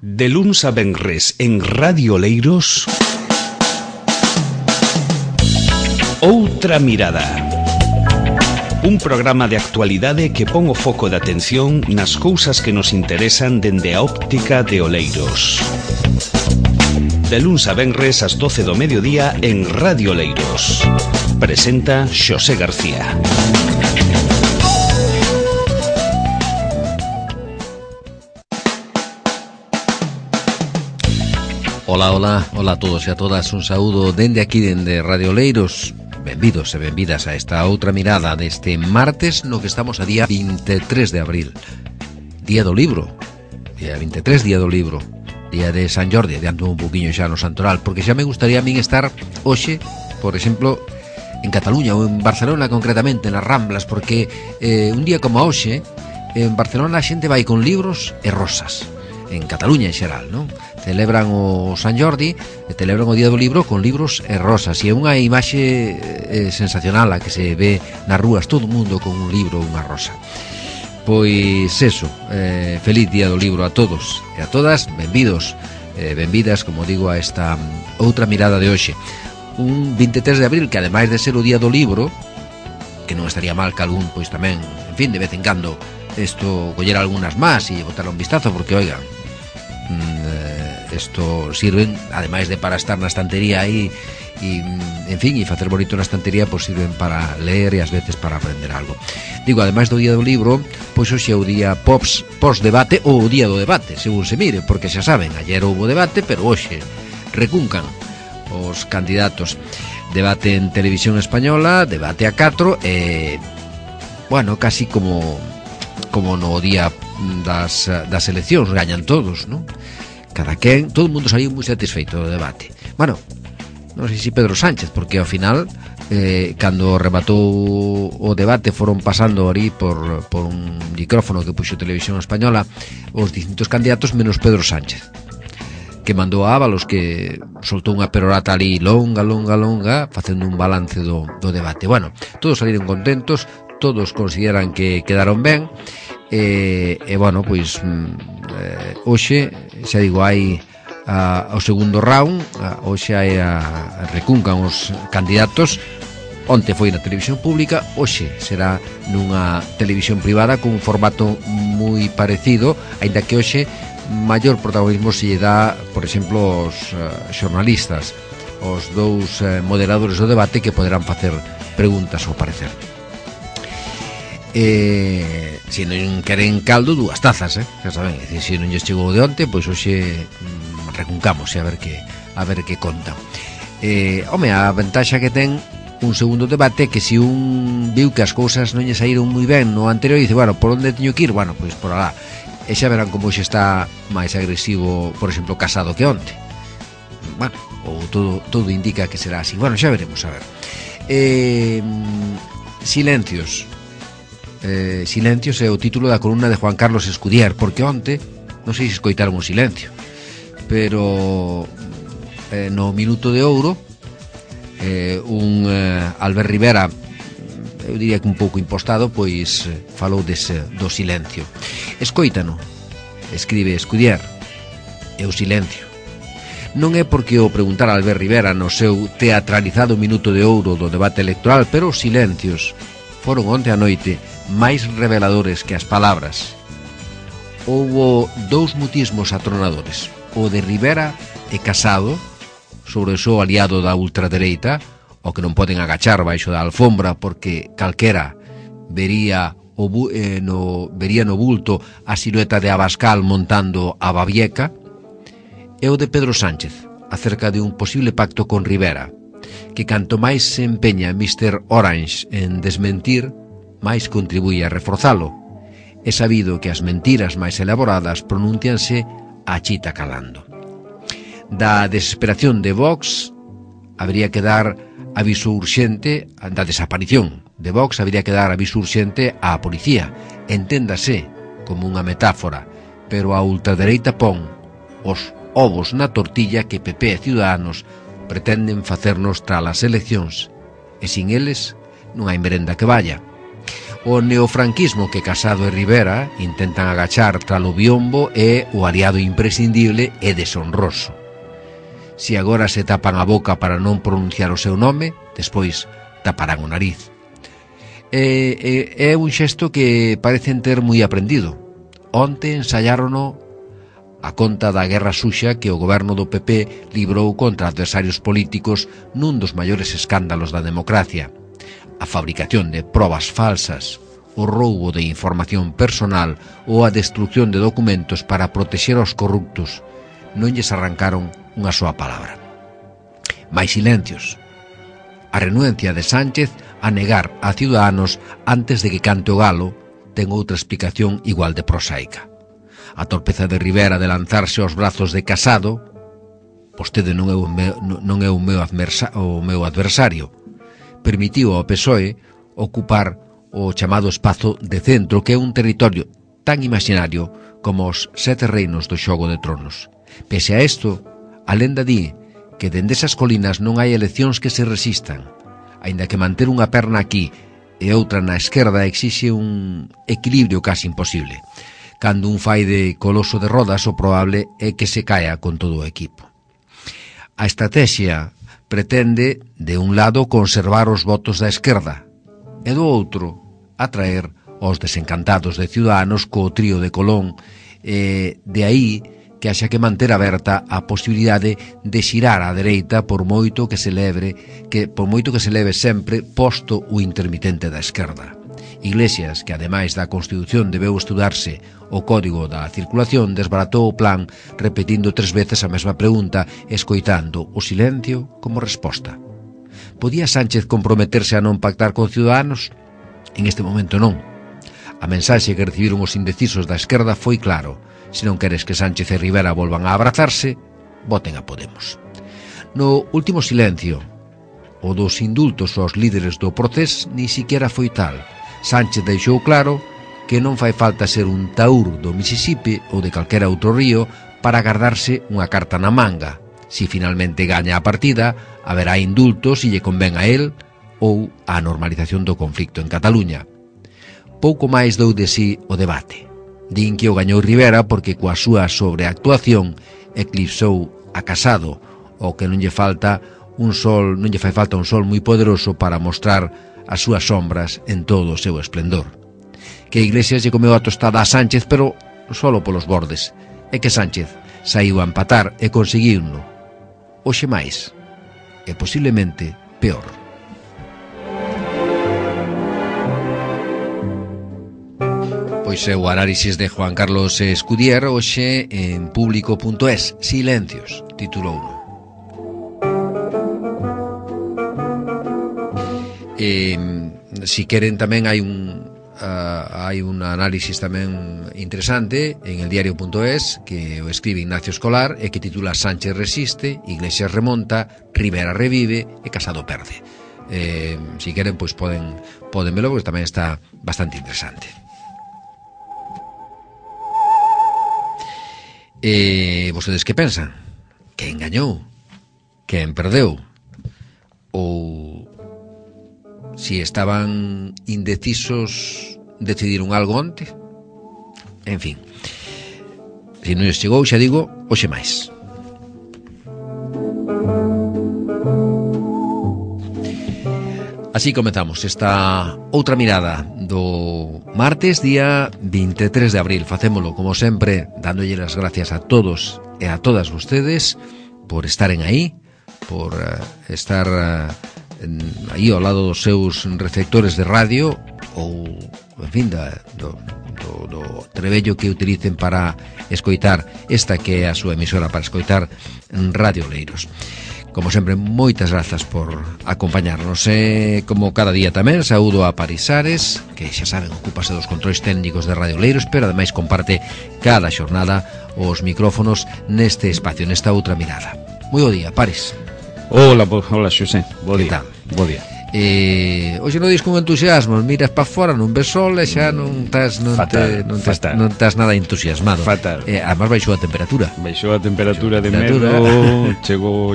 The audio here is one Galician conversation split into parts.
De luns a venres en Radio Oleiros, Outra Mirada. Un programa de actualidade que pon o foco de atención nas cousas que nos interesan dende a óptica de Oleiros. De luns a venres ás 12 do mediodía en Radio Oleiros. Presenta Xosé García. Ola a todos e a todas, un saúdo dende aquí, dende Radio Oleiros. Benvidos e benvidas a esta outra mirada deste martes no que estamos a día 23 de abril. Día do libro, día 23, día do libro, día de San Jordi, adianto un poquinho xa no Santoral, porque xa me gustaría a min estar hoxe, por exemplo, en Cataluña ou en Barcelona concretamente, nas Ramblas, porque un día como hoxe, en Barcelona a xente vai con libros e rosas. En Cataluña en xeral, non? Celebran o San Jordi e celebran o Día do Libro con libros e rosas, e é unha imaxe sensacional a que se ve nas rúas, todo o mundo con un libro ou unha rosa. Pois eso, feliz Día do Libro a todos e a todas, benvidos, benvidas, como digo, a esta outra mirada de hoxe. Un 23 de abril que ademais de ser o Día do Libro, que non estaría mal que algún, pois tamén, en fin, de vez en cando isto coller algunhas más e botar un vistazo, porque, oigan, isto sirven, ademais de para estar na estantería aí e, en fin, e facer bonito na estantería, pois sirven para ler e ás veces para aprender algo. Digo, ademais do Día do Libro, pois hoxe é o día post-debate ou o día do debate, según se mire, porque xa saben, ayer houbo debate, pero hoxe recuncan os candidatos. Debate en Televisión Española, debate a 4 e, bueno, casi como no día das eleccións, gañan todos, non? Cada quen, todo o mundo saliu moi satisfeito do debate. Bueno, non sei se Pedro Sánchez, porque ao final, cando rematou o debate, foron pasando ali por un micrófono que puxo Televisión Española os distintos candidatos, menos Pedro Sánchez, que mandou a Ábalos, que soltou unha perorata ali longa, facendo un balance do debate. Bueno, todos saliron contentos, todos consideran que quedaron ben, e bueno, pois hoxe, xa digo, hai o segundo round, hoxe hai recuncan os candidatos. Onte foi na televisión pública, hoxe será nunha televisión privada con un formato moi parecido, aínda que hoxe maior protagonismo se lle dá, por exemplo, aos xornalistas, os dous moderadores do debate, que poderán facer preguntas ao parecer. Se non queren caldo, dúas tazas, xa saben, se non lles chegou de onte, pois hoxe recuncamos e a ver que conta. Home, a ventaxa que ten un segundo debate, que se un viu que as cousas non lle saíron moi ben no anterior, dice, bueno, por onde teño que ir? Bueno, pois por alá. E xa verán como hoxe está máis agresivo, por exemplo, Casado que onte. Bueno, ou todo indica que será así. Bueno, xa veremos, a ver. Silencios é o título da columna de Juan Carlos Escudier, porque onte, non sei se escoitaron o silencio, pero no Minuto de Ouro, un Albert Rivera, eu diría que un pouco impostado, pois falou do silencio. Escoítano, escribe Escudier, é o silencio. Non é porque o preguntara Albert Rivera no seu teatralizado Minuto de Ouro do debate electoral, pero os silencios foron onte a noite máis reveladores que as palabras. Houbo dous mutismos atronadores, o de Rivera e Casado sobre o seu aliado da ultradereita, o que non poden agachar baixo da alfombra porque calquera vería no bulto a silueta de Abascal montando a Babieca, e o de Pedro Sánchez acerca de un posible pacto con Rivera, que canto máis se empeña Mr. Orange en desmentir, máis contribuye a reforzalo. É sabido que as mentiras máis elaboradas pronúncianse a chita calando. Da desesperación de Vox habría que dar aviso urxente, da desaparición de Vox habría que dar aviso urxente á policía, enténdase como unha metáfora, pero a ultradereita pon os ovos na tortilla que PP e Ciudadanos pretenden facernos tras as eleccións, e sin eles non hai merenda que vaya. O neofranquismo que Casado e Rivera intentan agachar tralo biombo é o aliado imprescindible e deshonroso. Se agora se tapan a boca para non pronunciar o seu nome, despois taparán o nariz. É un xesto que parecen ter moi aprendido. Onte ensaiárono a conta da guerra suxa que o goberno do PP librou contra adversarios políticos nun dos maiores escándalos da democracia. A fabricación de probas falsas, o roubo de información personal ou a destrucción de documentos para protexer aos corruptos. Non lles arrancaron unha soa palabra. Mais silencios. A renuencia de Sánchez a negar a Ciudadanos antes de que cante o galo ten outra explicación igual de prosaica. A torpeza de Rivera de lanzarse aos brazos de Casado, vostede non é o meu adversario, permitiu ao PSOE ocupar o chamado espazo de centro, que é un territorio tan imaginario como os 7 reinos do Xogo de Tronos. Pese a isto, a lenda di que dende esas colinas non hai eleccións que se resistan, aínda que manter unha perna aquí e outra na esquerda exixe un equilibrio casi imposible. Cando un fai de coloso de rodas, o probable é que se caia con todo o equipo. A estrategia pretende, de un lado, conservar os votos da esquerda e do outro, atraer os desencantados de Ciudadanos co trío de Colón, de aí que haxa que manter aberta a posibilidade de xirar á dereita por moito que se leve sempre posto o intermitente da esquerda. Iglesias, que ademais da Constitución debeu estudarse o Código da Circulación, desbaratou o plan repetindo 3 veces a mesma pregunta, escoitando o silencio como resposta. Podía Sánchez comprometerse a non pactar con Ciudadanos? En este momento non. A mensaxe que recibiron os indecisos da esquerda foi claro: se non queres que Sánchez e Rivera volvan a abrazarse, voten a Podemos. No último silencio, o dos indultos aos líderes do Procés ni siquiera foi tal. Sánchez deixou claro que non fai falta ser un taur do Mississippi ou de calquera outro río para guardarse unha carta na manga. Si finalmente gaña a partida, haberá indultos se lle convén a él ou a normalización do conflicto en Cataluña. Pouco máis dou de sí o debate. Din que o gañou Rivera porque coa súa sobreactuación eclipsou a Casado, ou que non lle fai falta un sol moi poderoso para mostrar as súas sombras en todo o seu esplendor. Que Iglesias lle comeu a tostada a Sánchez, pero solo polos bordes, e que Sánchez saiu a empatar e conseguiuno. Hoxe máis, e posiblemente peor. Pois é o análisis de Juan Carlos Escudier hoxe en Público.es. Silencios, titulouno. Si queren tamén hai un análisis tamén interesante en el diario.es que o escribe Ignacio Escolar e que titula Sánchez resiste, Iglesias remonta, Rivera revive e Casado perde. Si queren, pois poden velo, porque tamén está bastante interesante. Vostedes que pensan? Quen gañou? Quen perdeu? Ou si estaban indecisos, decidiron algo onte? En fin, se non lles chegou, xa digo, hoxe máis. Así comezamos esta outra mirada do martes, día 23 de abril. Facémolo, como sempre, dándolle as gracias a todos e a todas vostedes por estaren aí, por estar aí ao lado dos seus receptores de radio ou, en fin, do trebello que utilicen para escoitar esta que é a súa emisora, para escoitar Radio Oleiros. Como sempre, moitas grazas por acompañarnos. Como cada día tamén, saúdo a Parisares, que xa saben, ocúpase dos controis técnicos de Radio Oleiros, pero ademais comparte cada xornada os micrófonos neste espacio, nesta outra mirada. Moi bo día, Paris. Hola, Xosé. Bo día. Bo día. Hoxe non dis con entusiasmo, miras para fora, non ves sol e xa non estás nada entusiasmado. Fatal. Además baixou a temperatura. Baixou a temperatura de medo,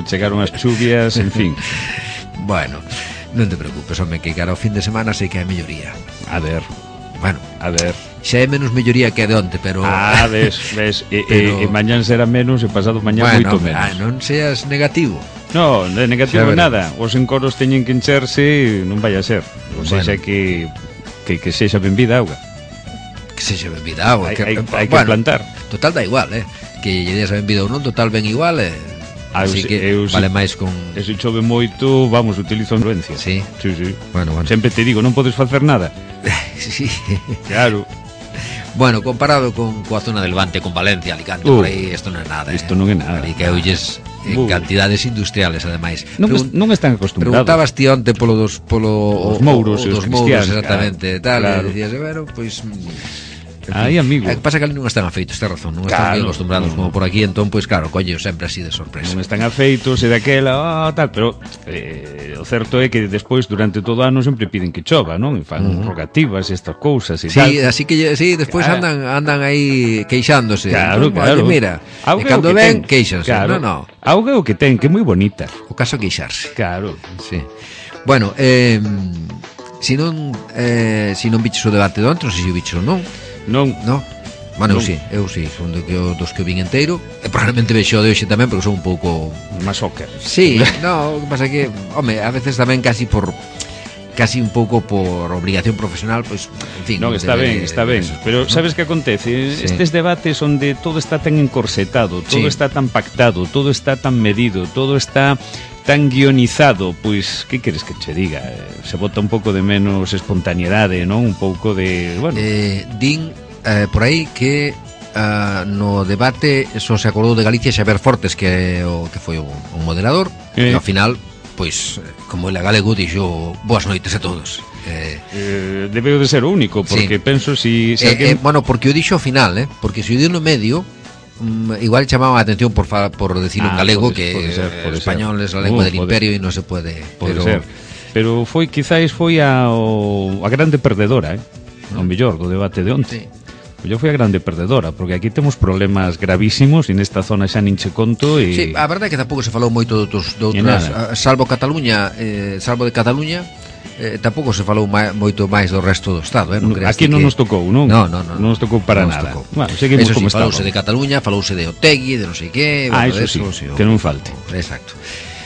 chegaron as chuvias, en fin. Bueno, non te preocupes, home, que cara ao fin de semana sei que hai melloría. A ver. Bueno, a ver. Xa é menos melloría que a de onte, pero... ves, e mañán será menos e pasado mañán moito menos. Non seas negativo. No, de negativo nada. Os encoros teñen que encherse, non vai a ser. Ou seja que sexa benvida auga. Que sexa benvida auga. Hai que plantar. Total da igual, que lle des a benvida ou non, total ben igual, así que vale máis con... E se chove moito, vamos, utilizo influencia. Sí. Bueno. Sempre te digo, non podes facer nada. Sí. Claro. Bueno, comparado coa zona del Levante, con Valencia, Alicante, por aí, isto non é nada. Isto non é nada. Ali que oulles en cantidades industriales, ademais. Non están acostumbrados. Preguntabas ti onte os mouros e os cristianos. Exactamente, tal, e dicías, bueno, pois... Aí, amigo. O que pasa que ali non están afeitos, ten razón, non están bien acostumbrados como por aquí, entón, pois claro, colle sempre así de sorpresa. Non están afeitos e daquela, tal, pero o certo é que despois, durante todo o ano, sempre piden que chova, non? E fan rogativas e estas cousas e tal. Sí, así que, despois andan aí queixándose. Claro. Mira, e cando ven, queixanse. Claro. No. Auga o que ten, que é moi bonita. O caso é queixarse. Claro. Sí. Bueno, si non biches o debate de onte, non sei se o biches ou non. Non. Bueno, eu sí, son dos que o vin inteiro. E probablemente vexo de hoxe tamén, porque son un pouco masoca. Sí, o que pasa que, home, a veces tamén casi un pouco por obligación profesional, pois, en fin. Non, está ben, pero sabes que acontece? Estes debates onde todo está tan encorsetado, todo está tan pactado, todo está tan medido, todo está tan guionizado, pois, que queres que che diga? Se bota un pouco de menos espontaneidade, non? Un pouco de, bueno... Din por aí que no debate só se acordou de Galicia Xavier Fortes, que foi o moderador, e ao final, pois, como ele galego, dixo boas noites a todos. Debeu de ser o único, porque penso si alguén... Bueno, porque o dixo ao final, porque se o dio no medio, igual chamaba a atención por decir un galego que el español es la lengua del imperio e non se pode ser. Pero quizáis foi a grande perdedora, o mellor do debate de onte. Yo foi a grande perdedora, porque aquí temos problemas gravísimos e nesta zona xa nin che conto e... Sí, a verdade é que tampouco se falou moito de outras, salvo de Cataluña, tampouco se falou moito máis do resto do Estado, non crees? Aquí non nos tocou, non? Non nos tocou para nada. Bueno, seguimos como estamos. Falouse de Cataluña, falouse de Otegui, de non sei que, eso sí, que non falte. Exacto.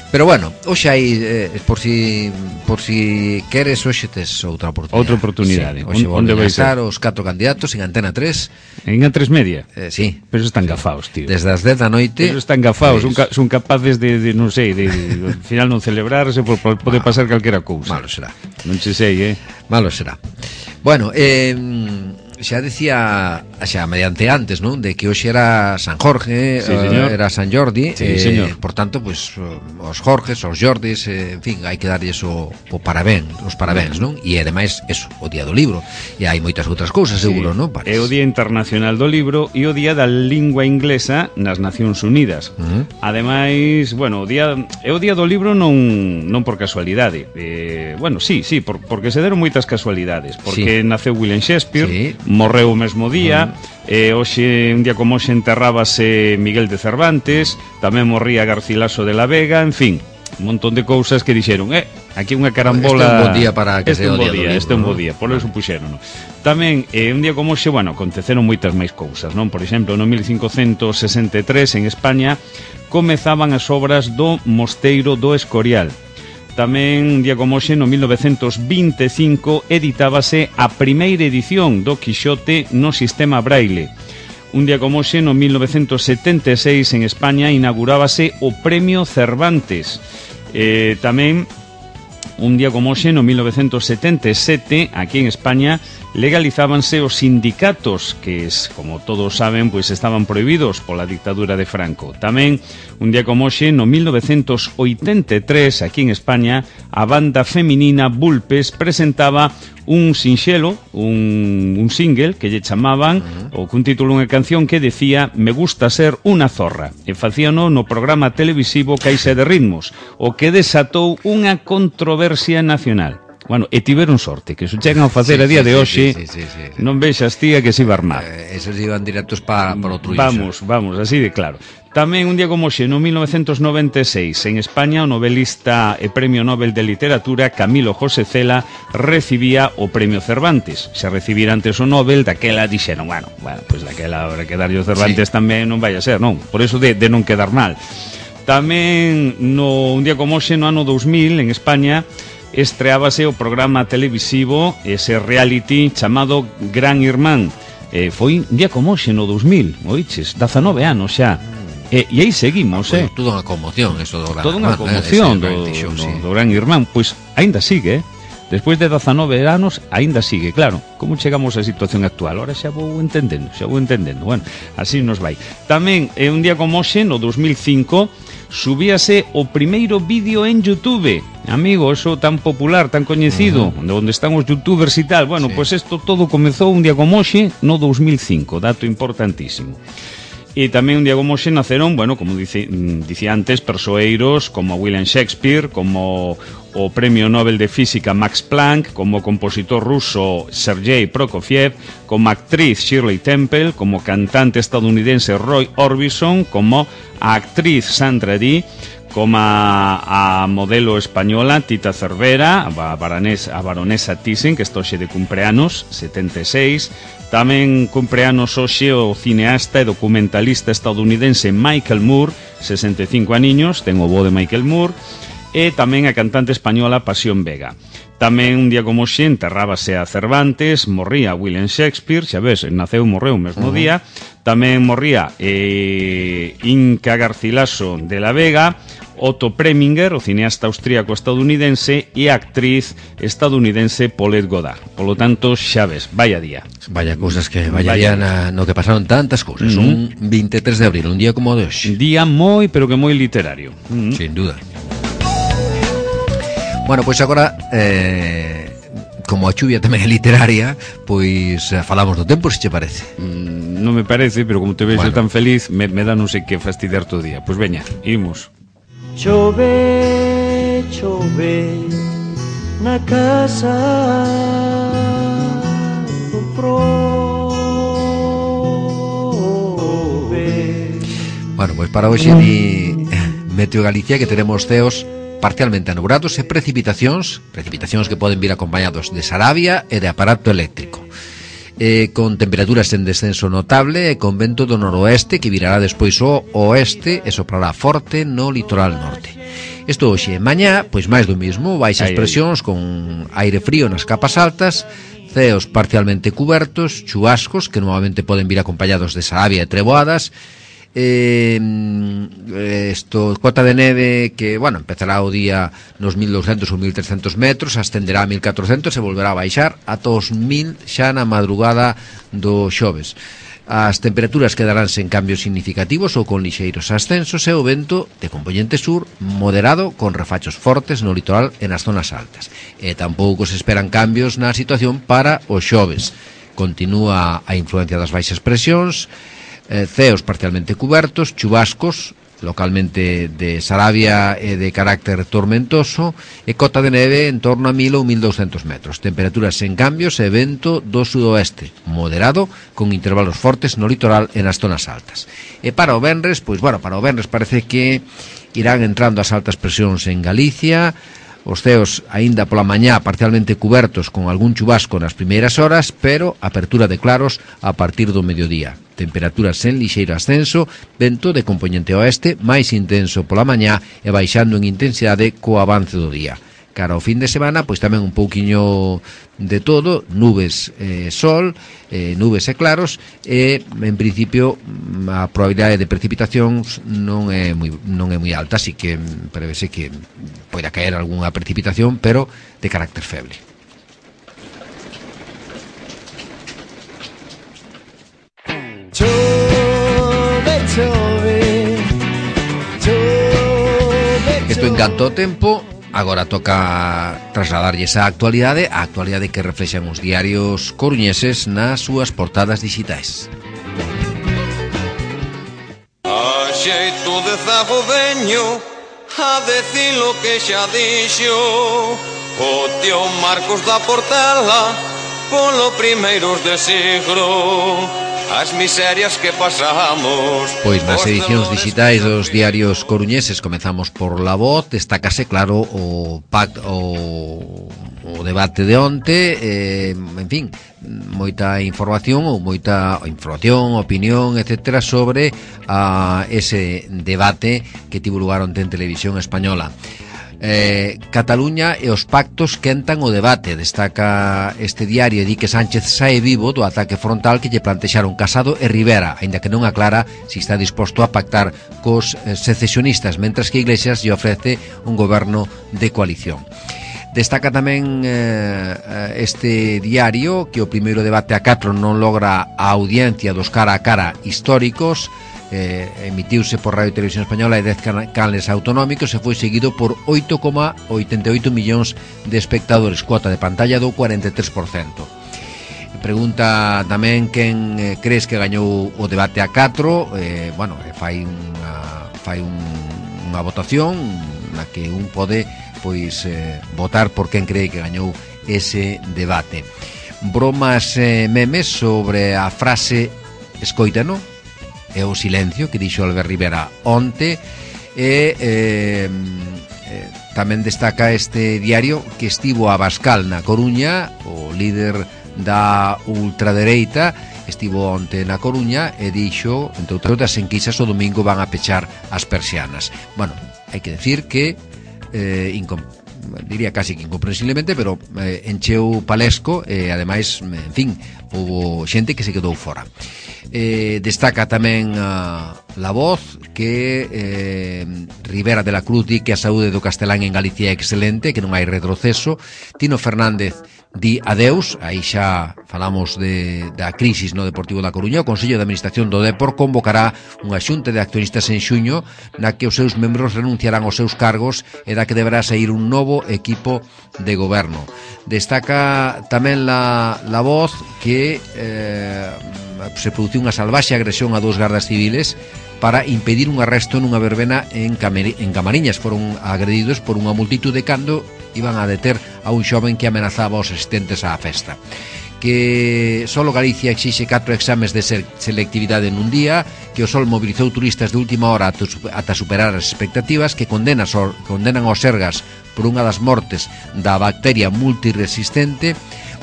Pero bueno, hoxe hai, por si queres, hoxe tes outra oportunidade. Hoxe volven a estar os 4 candidatos en Antena 3. En A3 Media? Sí. Pero están gafaos, tío. Desde as 10 da noite. Pero están gafaos, son capaces de non sei, de al final non celebrarse, pode pasar calquera cousa. Malo será. Non che sei, Malo será. Bueno, xa decía mediante antes, non? De que hoxe era San Jorge, era San Jordi, señor. Por tanto, pues os Jorges, os Jordis, en fin, hai que darlles os parabéns, non? E ademais, eso, o Día do Libro. E hai moitas outras cousas, seguro, non? É o Día Internacional do Libro e o Día da Lingua Inglesa nas Nacións Unidas. Ademais, bueno, é o Día do Libro non por casualidade. Bueno, sí, porque se deron moitas casualidades, porque naceu William Shakespeare, morreu o mesmo día, hoxe, un día como hoxe, enterrábase Miguel de Cervantes, tamén morría Garcilaso de la Vega, en fin, un montón de cousas que dixeron, aquí unha carambola... Este é un bon día para que sea o día do libro. Este é un bo día, por eso puxeron. Tamén, un día como hoxe, bueno, aconteceron moitas máis cousas, non? Por exemplo, no 1563, en España, comezaban as obras do Mosteiro do Escorial. Tamén, un día como hoxe, no 1925, editábase a primeira edición do Quixote no sistema Braille. Un día como hoxe, no 1976, en España, inaugurábase o Premio Cervantes. Tamén, un día como hoxe, no 1977, aquí en España, legalizábanse os sindicatos que, como todos saben, pois estaban prohibidos pola dictadura de Franco. Tamén, un día como hoxe, no 1983, aquí en España, a banda feminina Bulpes presentaba un sinxelo, un single que lle chamaban, ou cun título unha canción que decía Me gusta ser unha zorra, e facíano no programa televisivo Caixa de Ritmos, o que desatou unha controversia nacional. Bueno, e tiveron sorte, que se chegan a facer a día de hoxe, non vexas, tía, que se iba a armar. Esos iban directos para outro iso. Vamos, así de claro. Tamén un día como hoxe, no 1996, en España, o novelista e Premio Nobel de Literatura Camilo José Cela recibía o Premio Cervantes. Se recibira antes o Nobel, daquela dixeron, bueno, pois daquela habrá que darlle o Cervantes tamén, non vai a ser, non? Por eso de non quedar mal. Tamén, un día como hoxe, no ano 2000, en España, estreábase o programa televisivo, ese reality chamado Gran Irmán. Foi un día como hoxe, no 2000, oiches, 19 anos xa. E aí seguimos, Toda unha conmoción eso do Gran Irmán. Toda unha conmoción do Gran Irmán. Pois aínda sigue, despois de 19 anos, aínda sigue. Claro, como chegamos á situación actual? Ora xa vou entendendo. Bueno, así nos vai. Tamén, un día como hoxe, no 2005, subíase o primeiro vídeo en YouTube. Amigo, eso tan popular, tan coñecido, onde están os youtubers e tal. Bueno, pois isto todo comezou un día como hoxe, no 2005, dato importantísimo. E tamén un día como hoxe naceron, bueno, como dicía antes, persoeiros como William Shakespeare, como o Premio Nobel de Física Max Planck, como o compositor ruso Sergei Prokofiev, como actriz Shirley Temple, como cantante estadounidense Roy Orbison, como a actriz Sandra Dee, como a modelo española Tita Cervera, a baronesa Thyssen, que está hoxe de cumpleanos, 76. Tamén cumpleanos hoxe o cineasta e documentalista estadounidense Michael Moore, 65 aniños, ten o bo de Michael Moore. E tamén a cantante española Pasión Vega. Tamén un día como hoxe enterrábase a Cervantes, morría William Shakespeare, xa ves, naceu e morreu o mesmo día. Tamén morría Inca Garcilaso de la Vega, Otto Preminger, o cineasta austríaco estadounidense, e a actriz estadounidense Paulette Goddard. Polo tanto, xa ves, vaya día. Vaya cousas que día no que pasaron tantas cousas. Un 23 de abril, un día como o de hoxe. Día moi, pero que moi literario. Sin duda. Bueno, pois agora, como a chuvia tamén é literaria, pois falamos do tempo, se che parece. Non me parece, pero como te vexo tan feliz, me dá non sei que fastidiar todo o día. Pois veña, imos. Chove, chove na casa do prove. Bueno, pois para hoxe di Meteo Galicia que teremos ceos parcialmente anubrados e precipitacións que poden vir acompañados de sarabia e de aparato eléctrico, con temperaturas en descenso notable e con vento do noroeste que virará despois o oeste e soprará forte no litoral norte. Isto hoxe, mañá, pois máis do mismo, baixas presións con aire frío nas capas altas, ceos parcialmente cubertos, chubascos que normalmente poden vir acompañados de sarabia e treboadas, cota de neve que, bueno, empezará o día nos 1200 ou 1300 metros, ascenderá a 1400 e volverá a baixar ata os 1000 xa na madrugada do xoves. As temperaturas quedarán sen cambios significativos ou con lixeiros ascensos e o vento de componente sur moderado con refachos fortes no litoral e nas zonas altas. E tampouco se esperan cambios na situación para o xoves. Continúa a influencia das baixas presións, ceos parcialmente cubertos, chubascos localmente de sarabia e de carácter tormentoso e cota de neve en torno a 1000 ou 1200 metros. Temperaturas sen cambios e vento do sudoeste moderado con intervalos fortes no litoral e nas zonas altas. E para o venres, pois bueno, para o venres parece que irán entrando as altas presións en Galicia. Os ceos aínda pola mañá parcialmente cubertos con algún chubasco nas primeiras horas, pero apertura de claros a partir do mediodía. Temperaturas sen lixeiro ascenso, vento de componente oeste máis intenso pola mañá e baixando en intensidade co avance do día. Cara ao fin de semana, pois tamén un pouquiño de todo, nubes, sol, nubes e claros, e en principio a probabilidade de precipitacións non é moi alta, así que prevese que poida caer algunha precipitación, pero de carácter feble. Isto encanta o tempo. Agora toca trasladarlles a actualidade que reflexan os diarios coruñeses nas súas portadas digitais. A xeito de zago veño a decir lo que xa dixo o tío Marcos da Portela polo primeiros de siglo. as miserias que pasamos. Pois nas edicións digitais dos diarios coruñeses comezamos por La Voz. Destácase claro o debate de onte, en fin, moita información, opinión, etcétera, sobre ese debate que tivo lugar onte en Televisión Española. Cataluña e os pactos quentan o debate. Destaca este diario e di que Sánchez sae vivo do ataque frontal que lle plantexaron Casado e Rivera, aínda que non aclara se está disposto a pactar cos secesionistas, mentras que Iglesias lle ofrece un goberno de coalición. Destaca tamén este diario que o primeiro debate a 4 non logra a audiencia dos cara a cara históricos. Emitiuse por Radio Televisión Española e 10 canales autonómicos e foi seguido por 8,88 millóns de espectadores, cuota de pantalla do 43%. Pregunta tamén quen crees que gañou o debate a 4. Fai unha votación na que un pode votar por quen cree que gañou ese debate. Bromas memes sobre a frase escoítano e o silencio que dixo Albert Rivera onte. Tamén destaca este diario que estivo Abascal na Coruña, o líder da ultradereita estivo onte na Coruña e dixo, entre outras enquisas, o domingo van a pechar as persianas. Bueno, hai que decir que diría casi que incomprensiblemente, pero encheu palesco e ademais, en fin, houve xente que se quedou fora. Destaca tamén La Voz que Rivera de la Cruz di que a saúde do castelán en Galicia é excelente, que non hai retroceso. Tino Fernández di adeus, aí xa falamos da crisis no Deportivo da Coruña. O Consello de Administración do Depor convocará unha xunta de accionistas en xuño na que os seus membros renunciarán aos seus cargos e da que deberá sair un novo equipo de goberno. Destaca tamén La Voz que se produciu unha salvaxe agresión a 2 gardas civiles para impedir un arresto nunha verbena en Camariñas. Foron agredidos por unha multitude cando iban a deter a un xoven que amenazaba aos asistentes á festa. Que solo Galicia exixe 4 exames de selectividade nun día, que o Sol mobilizou turistas de última hora ata superar as expectativas, que condenan aos Sergas por unha das mortes da bacteria multiresistente.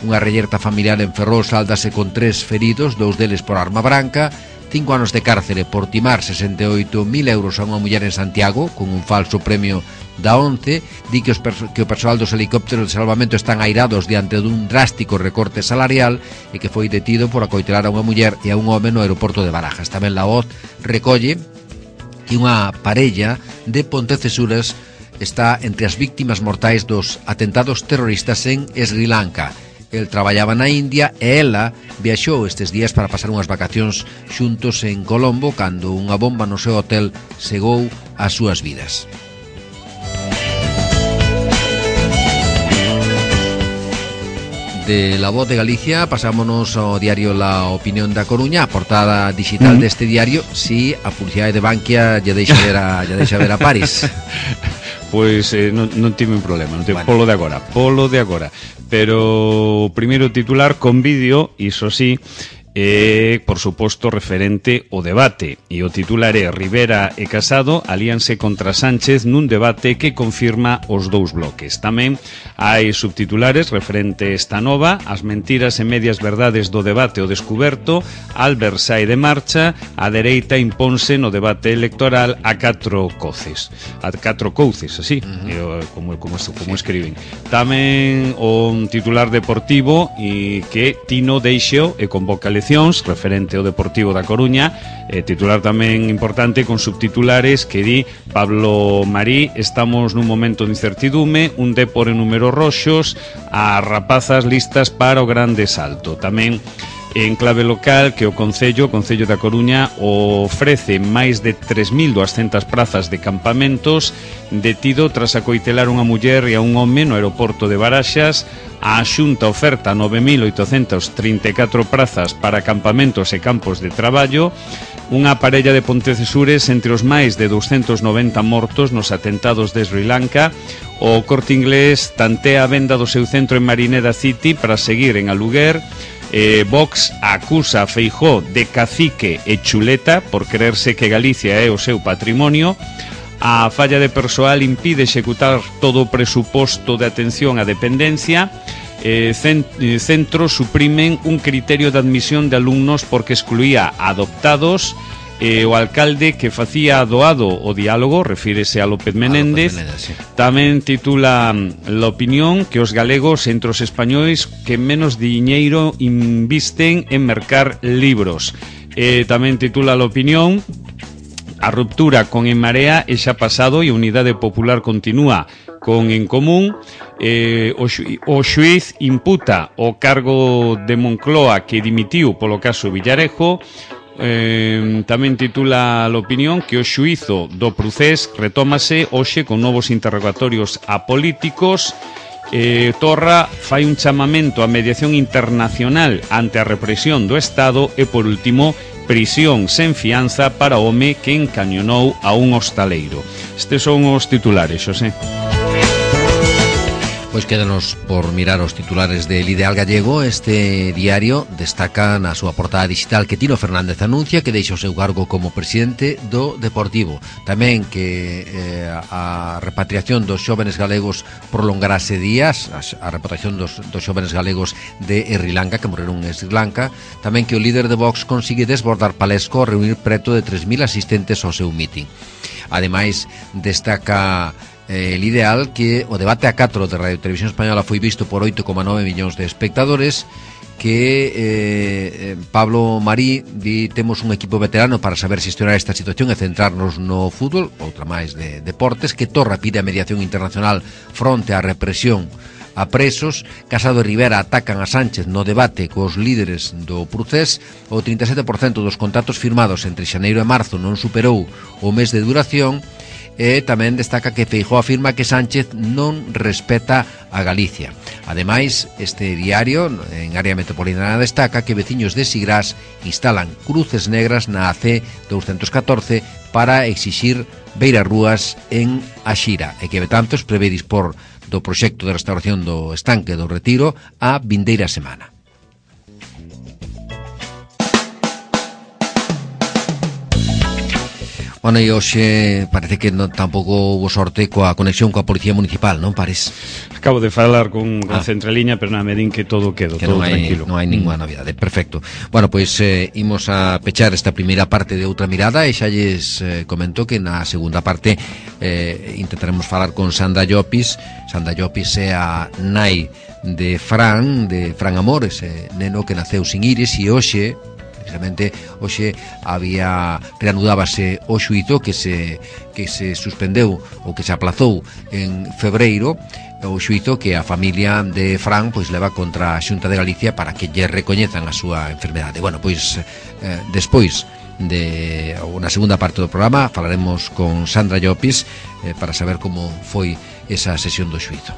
Unha reyerta familiar en Ferrol sáldase con 3 feridos, 2 deles por arma branca. 5 anos de cárcere por timar 68.000 euros a unha muller en Santiago con un falso premio da ONCE. Di que o persoal dos helicópteros de salvamento están airados diante dun drástico recorte salarial e que foi detido por acoitelar a unha muller e a un home no aeroporto de Barajas. Tamén La Voz recolle que unha parella de Pontecesuras está entre as víctimas mortais dos atentados terroristas en Sri Lanka. El traballaba na India e ela viaxou estes días para pasar unhas vacacións xuntos en Colombo cando unha bomba no seu hotel cegou as súas vidas. De La Voz de Galicia pasámonos ao diario La Opinión da Coruña. A portada digital deste diario, si a publicidade de Bankia lle deixa ver a París. Pois non tive un problema, non tive, bueno. Polo de agora. Pero o primeiro titular con vídeo, iso sí, por suposto referente ao debate, e o titular é: Rivera e Casado alíanse contra Sánchez nun debate que confirma os dous bloques. Tamén hai subtitulares referente esta nova: as mentiras e medias verdades do debate o descuberto, Albert sae de marcha, a dereita imponse no debate electoral a 4 couces, así, como escriben. Tamén o titular deportivo e que Tino deixou e convoca referente ao Deportivo da Coruña, titular tamén importante con subtitulares que di: Pablo Marí, estamos nun momento de incertidume, un Depor en números roxos, as rapazas listas para o grande salto. Tamén en clave local que o Concello da Coruña ofrece máis de 3.200 prazas de campamentos, detido tras acoitelar unha muller e a un home no aeroporto de Baraxas. A Xunta oferta 9.834 prazas para campamentos e campos de traballo. Unha parella de Pontecesures entre os máis de 290 mortos nos atentados de Sri Lanka. O Corte Inglés tantea a venda do seu centro en Marineda City para seguir en aluguer. Vox acusa a Feijóo de cacique e chuleta por creerse que Galicia é o seu patrimonio. A falla de persoal impide executar todo o presuposto de atención á dependencia. Centros suprimen un criterio de admisión de alumnos porque excluía adoptados. O alcalde que facía doado o diálogo, refírese a López Menéndez, sí. Tamén titula La Opinión que os galegos entre os españois que menos diñeiro invisten en mercar libros. Tamén titula La Opinión a ruptura con En Marea e xa pasado e a Unidade Popular continúa con En Común. O xuíz imputa o cargo de Moncloa que dimitiu polo caso Villarejo. Tamén titula La Opinión que o xuízo do Procés retómase hoxe con novos interrogatorios a políticos. Torra fai un chamamento á mediación internacional ante a represión do Estado e, por último, prisión sen fianza para o home que encañonou a un hostaleiro. Estes son os titulares, Xosé. Pois quédanos por mirar os titulares del Ideal Gallego. Este diario destaca na súa portada digital que Tino Fernández anuncia que deixa o seu cargo como presidente do Deportivo. Tamén que a repatriación dos xóvenes galegos prolongarase días, a repatriación dos xóvenes galegos de Sri Lanka, que morreron en Sri Lanka. Tamén que o líder de Vox consigue desbordar Palesco ao reunir preto de 3.000 asistentes ao seu meeting. Ademais, destaca el Ideal que o debate a 4 de Radio Televisión Española foi visto por 8,9 millóns de espectadores, que Pablo Marí di temos un equipo veterano para saber xestionar esta situación e centrarnos no fútbol, outra máis de deportes, que Torra pide a mediación internacional fronte á represión a presos. Casado e Rivera atacan a Sánchez no debate cos líderes do Procés. O 37% dos contratos firmados entre xaneiro e marzo non superou o mes de duración. E tamén destaca que Feijóo afirma que Sánchez non respeta a Galicia. Ademais, este diario en área metropolitana destaca que veciños de Sigrás instalan cruces negras na AC 214 para exixir beirarrúas en Axira, e que Betanzos prevé dispor do proxecto de restauración do estanque do Retiro a vindeira semana. Bueno, e hoxe parece que tampouco houve sorte coa conexión coa Policía Municipal, non pares? Acabo de falar con Centraliña, pero me din que todo quedou, todo tranquilo. Non hai ninguna novidade, perfecto. Bueno, pois imos a pechar esta primeira parte de Outra Mirada e xa lles comento que na segunda parte intentaremos falar con Sandra Llopis. Sandra Llopis é a nai de Fran Amor, ese neno que naceu sin iris, e hoxe reanudábase o xuízo que se suspendeu ou que se aplazou en febreiro, o xuízo que a familia de Fran pois leva contra a Xunta de Galicia para que lle recoñezan a súa enfermedade. Bueno, pois despois de na segunda parte do programa falaremos con Sandra Llopis para saber como foi esa sesión do xuízo.